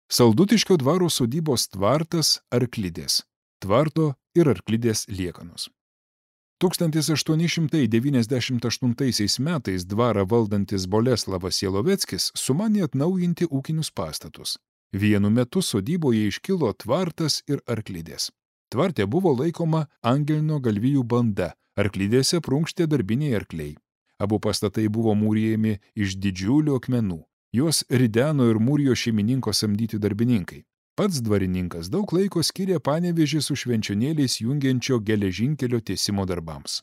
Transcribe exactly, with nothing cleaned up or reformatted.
Saldutiškio dvaro sodybos tvartas Arklidės, tvarto ir Arklidės liekanos. tūkstantis aštuoni šimtai devyniasdešimt aštuntaisiais metais dvarą valdantis Boleslavas Jeloveckis sumanė atnaujinti ūkinius pastatus. Vienu metu sodyboje iškilo tvartas ir Arklidės. Tvarte buvo laikoma Angelino galvijų banda, Arklidėse prunkštė darbiniai arkliai. Abu pastatai buvo mūrijami iš didžiulių akmenų. Juos rideno ir mūrijo šeimininko samdyti darbininkai. Pats dvarininkas daug laiko skyrė Panevėžį su Švenčionėliais jungiančio geležinkelio tiesimo darbams.